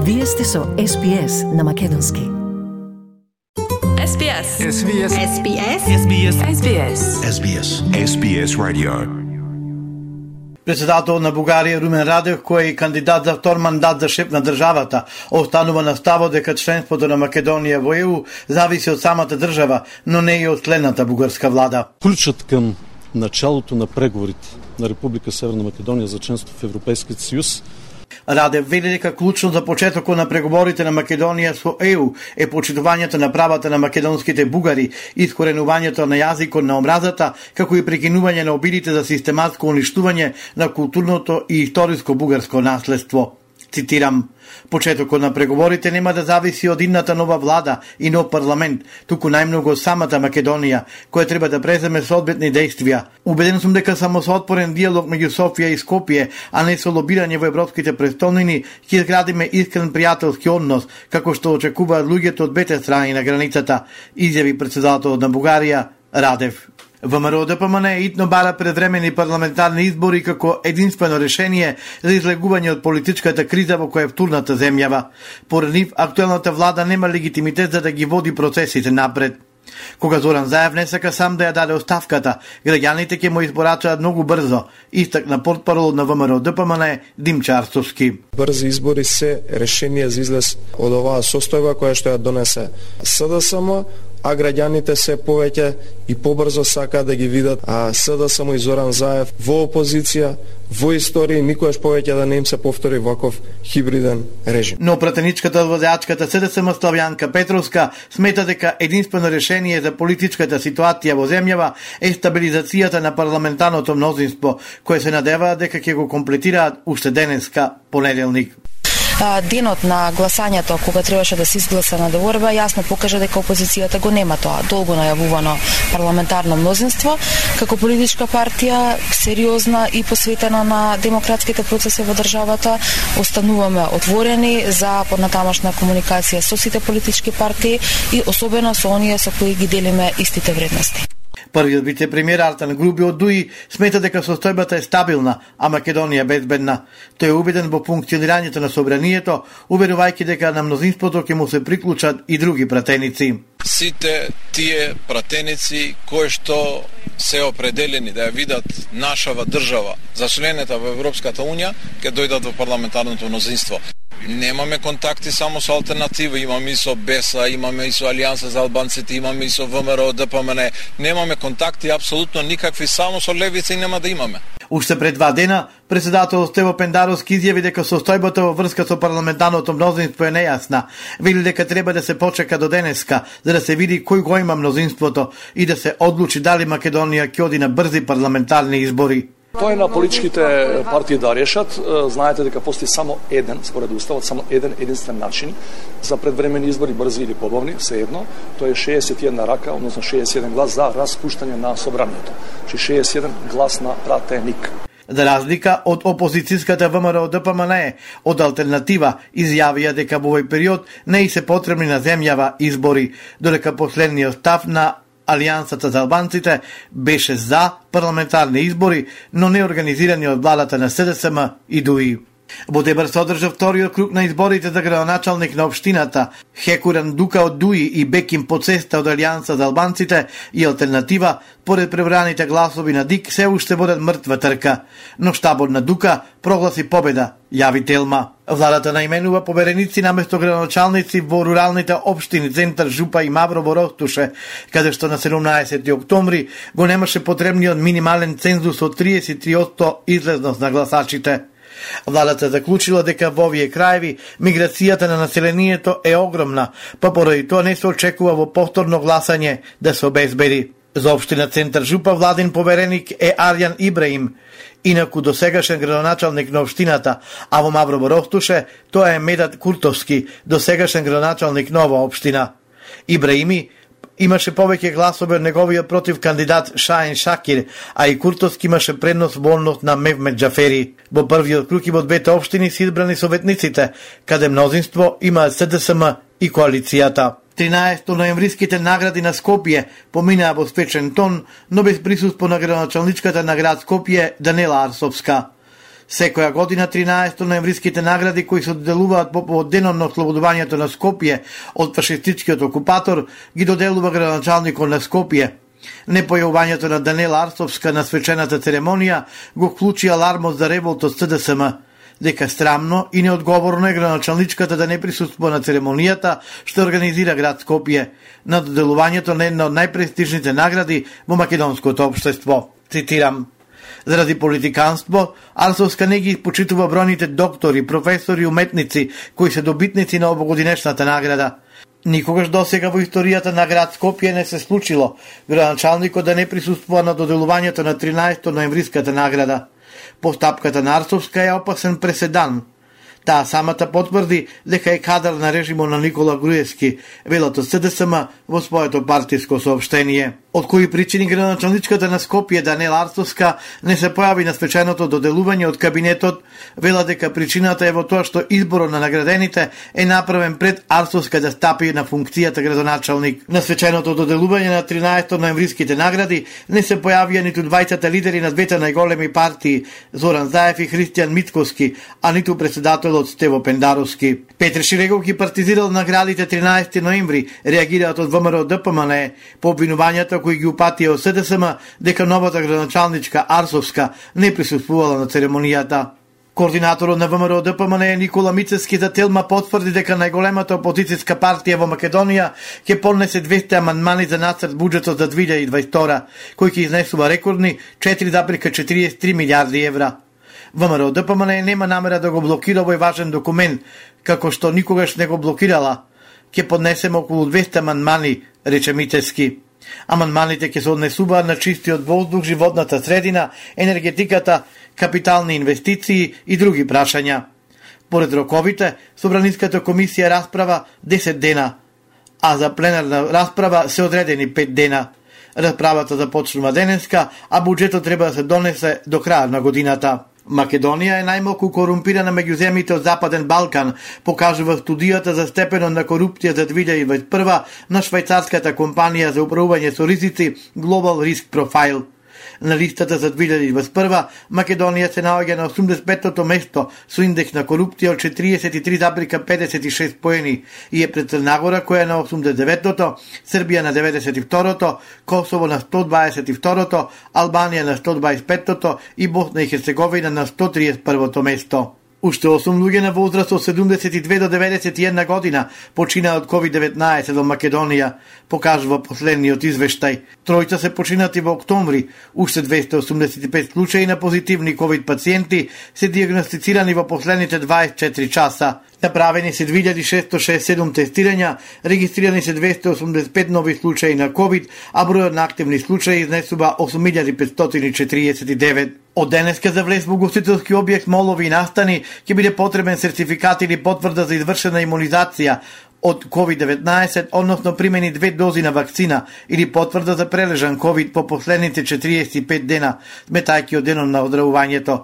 Вие сте со SPS на македонски. SBS. SBS. SBS. SBS. SBS. SBS. SBS Radio. Председател на Бугарија Румен Радев, кој е кандидат за втор мандат за шеф на државата, останува на ставот дека членството на Македонија во ЕУ зависи од самата држава, но не и од следната бугарска влада. Ключот кам началото на преговорите на Република Северна Македонија за членство в Европейскиот Сојуз. Радев вели дека клучно за почетокот на преговорите на Македонија со ЕУ е почитувањето на правата на македонските бугари, искоренувањето на јазикот на омразата, како и прекинување на обидите за систематско уништување на културното и историско бугарско наследство. Цитирам: "Почетокот на преговорите нема да зависи од идната нова влада и нов парламент, туку најмногу од самата Македонија, која треба да преземе соодветни действија. Убеден сум дека само со отворен диалог меѓу Софија и Скопје, а не со лобирање во европските престолнини, ќе изградиме искрен пријателски однос, како што очекуваат луѓето од двете страни на границата", изјави председателот на Бугарија Радев. ВМРО-ДПМН итно бара предвремени парламентарни избори како единствено решение за излегување од политичката криза во која е втурната земјава. Поред нив, актуелната влада нема легитимитет за да ги води процесите напред. Кога Зоран Заев не сака сам да ја даде оставката, граѓаните ќе му изборачаат многу брзо, истакна портпарол на ВМРО-ДПМН Димчо Арцовски. Брзи избори се решение за излез од оваа состојба која што ја донесе СДСМ, а граѓаните се повеќе и побрзо сакаат да ги видат СДСМ и Зоран Заев во опозиција, во историја, никогаш повеќе да не им се повтори ваков хибриден режим. Но пратеничката од возачката СДСМ Славјанка Петровска смета дека единствено решение за политичката ситуација во земјава е стабилизацијата на парламентарното мнозинство, кое се надева дека ќе го комплетираат уште денеска, понеделник. Денот на гласањето, кога требаше да се изгласа на договорба, јасно покажа дека опозицијата го нема тоа долго најавувано парламентарно мнозинство. Како политичка партија, сериозна и посветена на демократските процеси во државата, остануваме отворени за поднатамошна комуникација со сите политички партии и особено со оние со кои ги делиме истите вредности. Првиот вице-премиер Артан Груби од ДУИ смета дека состојбата е стабилна, а Македонија безбедна. Тој е убеден во функционирањето на собранието, уверувајќи дека на мнозинството ќе му се приклучат и други пратеници. Сите тие пратеници кои што се определени да ја видат нашава држава за членета во Европската Унија, ќе дојдат во парламентарното мнозинство. Немаме контакти само со алтернатива, имаме и со БЕСА, имаме и со Алијанса за албанците, имаме и со ВМРО-ДПМН. Немаме контакти апсолутно никакви, само со левица и нема да имаме. Уште пред 2 дена, председател Стево Пендаровски изјави дека состојбата во врска со парламентарното мнозинство е нејасна. Вели дека треба да се почека до денеска, за да се види кој го има мнозинството и да се одлучи дали Македонија ќе оди на брзи парламентарни избори. Тоа е на политичките партии да решат. Знаете дека постои само еден, според уставот, само единствен начин за предвремени избори, брзи или побавни, всеедно. Тоа е 61 рака, односно 61 глас за распуштање на собранието. 61 глас на пратеник. За разлика од опозицијската ВМРО-ДПМН, од алтернатива изјавија дека во овој период не и се потребни на земјава избори, додека последниот став на Алијансата за албанците беше за парламентарни избори, но не организирани од владата на СДСМ и ДУИ. Во Дебар се одржа вториот круг на изборите за градоначалник на општината. Хекуран Дука од ДУИ и Беким Поцеста од Алијанса за албанците и алтернатива, поред пребраните гласови на ДИК, се уште водат мртва трка. Но штабот на Дука прогласи победа, јави Телма. Владата наименува повереници наместо градоначалници во руралните општини Центар, Жупа и Маврово Ростуше, каде што на 17 октомври го немаше потребниот минимален цензус од 33% излезност на гласачите. Владата заклучила дека во овие краеви миграцијата на населението е огромна, па поради тоа не се очекува во повторно гласање да се обезбеди. За општина Центар Жупа владин повереник е Арјан Ибраим, инаку досегашен градоначалник на општината, а во Маврово Ростуше тоа е Медат Куртовски, досегашен градоначалник на оваа општина. Ибраими имаше повеќе гласови од неговиот против кандидат Шаен Шакир, а и Куртовски имаше предност во однос на Мевмет Џафери. Во првиот круг и во двете општини се избрани советниците, каде мнозинство има СДСМ и коалицијата. 13 ноемвриските награди на Скопје поминаа во свечен тон, но без присуство на градоначалничката на град Скопје Данела Арсовска. Секоја година 13 ноемвриските награди кои се доделуваат по повод денот на ослободувањето на Скопје од фашистичкиот окупатор ги доделува градоначалникот на Скопје. Непојавувањето на Данела Арсовска на свечената церемонија го вклучи алармот за револт од СДСМ, дека срамно и неодговорно е градоначалничката да не присуствува на церемонијата што организира град Скопје на доделувањето на една од најпрестижните награди во македонското општество. Цитирам: заради политиканство, Арсовска не ги почитува бројните доктори, професори и уметници кои се добитници на овогодинешната награда. Никогаш досега во историјата на град Скопје не се случило градоначалникот да не присуствува на доделувањето на 13 ноемвриската награда. Постапката на Арсовска е опасен преседан. Таа самата потврди дека е кадар на режимот на Никола Груевски, велат од СДСМ во своето партиско соопштение. Од кои причини градоначалничката на Скопје Данела Арсовска не се појави на свеченото доделување од кабинетот, вела дека причината е во тоа што изборот на наградените е направен пред Арсовска да стапи на функцијата градоначалник. На свеченото доделување на 13 ноемвриските награди не се појавија ниту двајцата лидери на двете најголеми партии, Зоран Заев и Христијан Мицковски, а ниту председателот Стево Пендаровски. Петр Ширегов ги партизирал наградите 13 ноември, реагираат од ВМРО ДПМН по обвинувањата кои ги упатија од СДСМ дека новата градоначалничка Арсовска не присуствувала на церемонијата. Координаторот на ВМРО ДПМН Никола Мицевски за Телма потврди дека најголемата опозицијска партија во Македонија ќе поднесе 200 амандмани за нацрт буџетот за 2022, кој ќе изнесува рекордни 4,43 милиарди евра. ВМРО ДПМН нема намера да го блокира овој важен документ, како што никогаш не го блокирала. Ќе поднесеме околу 200 амандмани, рече Мицевски. Амандманите ќе се однесуваат на чистиот воздух, животната средина, енергетиката, капитални инвестиции и други прашања. Поред роковите, Собраниската комисија расправа 10 дена, а за пленарна расправа се одредени 5 дена. Расправата започнува денеска, а буџетот треба да се донесе до крај на годината. Македонија е најмалку корумпирана меѓу земјите од Западен Балкан, покажува студијата за степенот на корупција за 2021 на швајцарската компанија за управување со ризици Global Risk Profile. На листата за 2021 Македонија се наоѓа на 85-то место со индекс на корупција од 43,56 поени и е пред Црнагора која е на 89-то, Србија на 92-то, Косово на 122-то, Албанија на 125-то и Босна и Херцеговина на 131-то место. Уште 8 луѓе на возраст од 72 до 91 година починаа од COVID-19 во Македонија, покажува последниот извештај. Тројца се починати во октомври, уште 285 случаи на позитивни COVID пациенти се диагностицирани во последните 24 часа. Направени се 2667 тестирања, регистрирани се 285 нови случаи на COVID, а бројот на активни случаи изнесува 8549. Од денеска за влез во угостителски објект, молови и настани ќе биде потребен сертификат или потврда за извршена имунизација од COVID-19, односно примени 2 дози на вакцина или потврда за прележан COVID по последните 45 дена, сметајќи од денот на оздравувањето.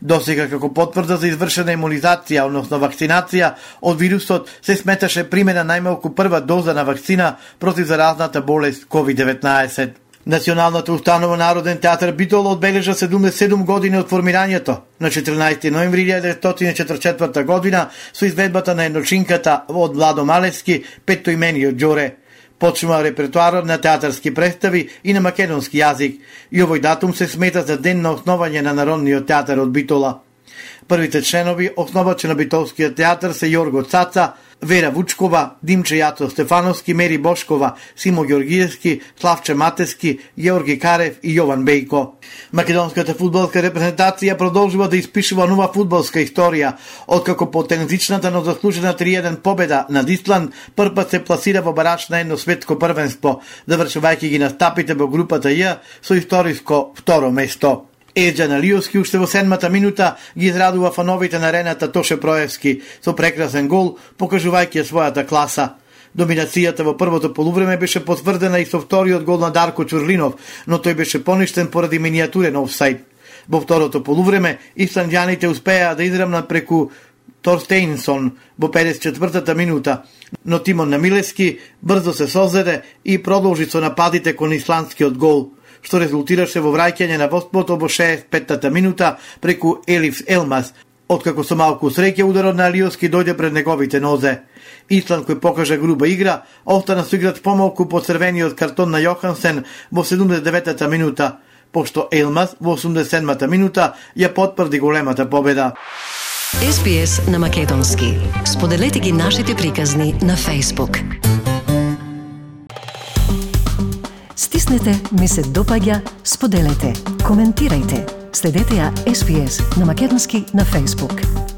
Досега како потврда за извршена имунизација, односно вакцинација од вирусот, се сметаше примена најмалку прва доза на вакцина против заразната болест COVID-19. Националната установа Народен театар Битола одбележа 77 години од формирањето на 14 ноември 1944 година со изведбата на едночинката од Владо Малевски, Петоимениот Ѓоре. Почнува репертуарот на театарски представи и на македонски јазик и овој датум се смета за ден на основање на Народниот театар од Битола. Првите членови основачи на Битолскиот театар се Јорго Цаца, Вера Вучкова, Димче Јацо Стефановски, Мери Бошкова, Симо Ѓоргиевски, Славче Матески, Јорги Карев и Јован Бејко. Македонската фудбалска репрезентација продолжува да испишува нова фудбалска историја, откако по тензичната но заслужена 3-1 победа над Исланд првпат се пласира во бараж на едно светско првенство, завршувајќи ги настапите во групата Ј со историско второ место. Еджан Алиовски уште во 7-та минута ги израдува фановите на арената Тоше Проевски со прекрасен гол, покажувајќи својата класа. Доминацијата во првото полувреме беше потврдена и со вториот гол на Дарко Чурлинов, но тој беше поништен поради минијатурен офсайд. Во второто полувреме исландјаните успеа да израмнат преку Торстейнсон во 54-та минута, но тимот на Милевски брзо се созеде и продолжи со нападите кон исландскиот гол. што резултираше во враќање на водството во 65-та минута преку Елиф Елмас, откако со малку среќа ударот на Алиоски дојде пред неговите нозе. Исланд, кој покажа груба игра, остана со играч помалку по црвениот картон на Јохансен во 79-та минута, пошто Елмас во 87-та минута ја потврди големата победа. SBS на македонски. Споделете ги нашите приказни на Facebook. Стиснете ми се допаѓа, споделете, коментирајте. Следете ја SBS на македонски на Facebook.